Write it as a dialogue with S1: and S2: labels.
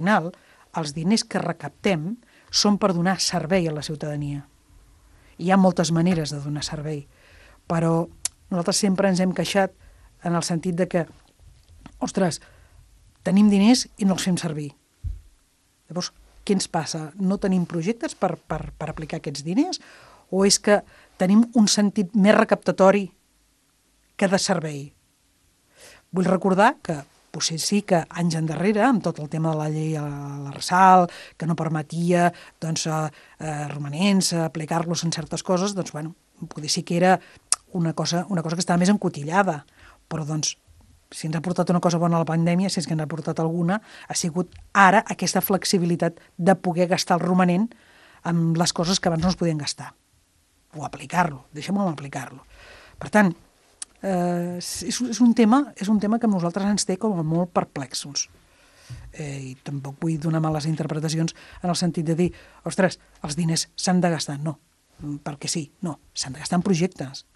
S1: Al final, els diners que recaptem són per donar servei a la ciutadania. Hi ha moltes maneres de donar servei, però nosaltres sempre ens hem queixat en el sentit de que, ostres, tenim diners i no els fem servir. Llavors, què ens passa? No tenim projectes per aplicar aquests diners? O és que tenim un sentit més recaptatori que de servei? Vull recordar que potser sí que anys endarrere, amb tot el tema de la llei a l'Arsal, que no permetia romanents aplicar-los en certes coses, doncs, bueno, potser sí que era una cosa que estava més encotillada, però doncs si ens ha portat una cosa bona a la pandèmia, si és que ens ha portat alguna, ha sigut ara aquesta flexibilitat de poder gastar el romanent amb les coses que abans no es podien gastar, o aplicar-lo, deixem-ho aplicar-lo. Per tant, és un tema que a nosaltres ens té com a molt perplexos. I tampoc vull donar males interpretacions en el sentit de dir, ostres, els diners s'han de gastar. No, perquè sí, no, s'han de gastar en projectes.